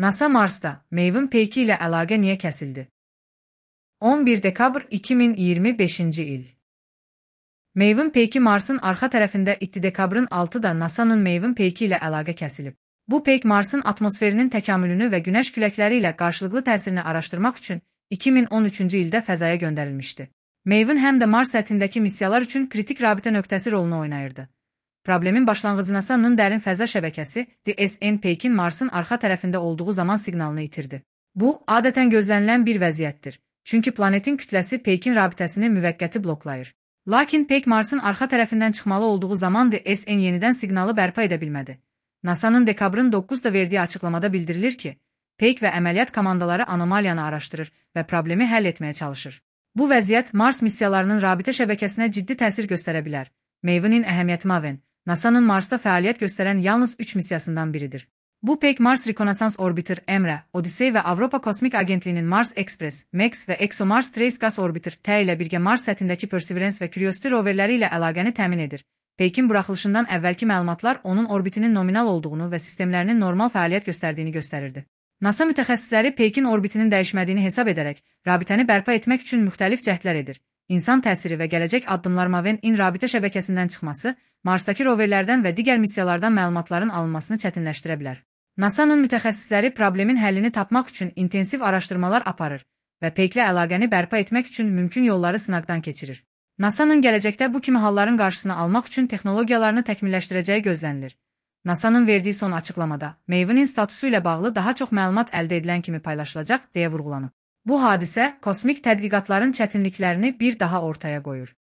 NASA Marsda Maven peyki ilə əlaqə niyə kəsildi? 11 dekabr 2025-ci il. Maven peyki Marsın arxa tərəfində 2 dekabrın 6-da NASA'nın Maven peyki ilə əlaqə kəsilib. Bu peyk Marsın atmosferinin təkamülünü və günəş küləkləri ilə qarşılıqlı təsirini araşdırmaq üçün 2013-cü ildə fəzaya göndərilmişdi. Maven həm də Mars səthindəki missiyalar üçün kritik rabitə nöqtəsi rolunu oynayırdı. Problemin başlanğıcı NASA'nın dərin fəza şəbəkəsi DSN peykin Marsın arxa tərəfində olduğu zaman siqnalını itirdi. Bu, adətən gözlənilən bir vəziyyətdir. Çünki planetin kütləsi peykin rabitəsini müvəqqəti bloklayır. Lakin peyk Marsın arxa tərəfindən çıxmalı olduğu zaman DSN yenidən siqnalı bərpa edə bilmədi. NASA'nın dekabrın 9-da verdiyi açıqlamada bildirilir ki, peyk və əməliyyat komandaları anomaliyanı araşdırır və problemi həll etməyə çalışır. Bu vəziyyət Mars missiyalarının rabitə şəbəkəsinə ciddi təsir göstərə bilər. Maven'in əhəmiyyəti Maven, NASA'nın Marsda fəaliyyət göstərən yalnız 3 missiyasından biridir. Bu peyk Mars Rekonnaissance Orbiter EMRE, Odyssey və Avropa Kosmik Agentliyinin Mars Express, MEX və ExoMars Trace Gas Orbiter T ilə birgə Mars səthindəki Perseverance və Curiosity roverləri ilə əlaqəni təmin edir. Peykin buraxılışından əvvəlki məlumatlar onun orbitinin nominal olduğunu və sistemlərinin normal fəaliyyət göstərdiyini göstərirdi. NASA mütəxəssisləri peykin orbitinin dəyişmədiyini hesab edərək, rabitəni bərpa etmək üçün müxtəlif cəhdlər edir. İnsan təsiri və gələcək addımlar Maven-in rabitə şəbəkəsindən çıxması, Marsdakı roverlərdən və digər missiyalardan məlumatların alınmasını çətinləşdirə bilər. NASA'nın mütəxəssisləri problemin həllini tapmaq üçün intensiv araşdırmalar aparır və peyklə əlaqəni bərpa etmək üçün mümkün yolları sınaqdan keçirir. NASA'nın gələcəkdə bu kimi halların qarşısını almaq üçün texnologiyalarını təkmilləşdirəcəyi gözlənilir. NASA'nın verdiyi son açıqlamada, Maven'in statusu ilə bağlı daha çox məlumat əldə edilən kimi paylaşılacaq deyə vurğulanıb. Bu hadisə kosmik tədqiqatların çətinliklərini bir daha ortaya qoyur.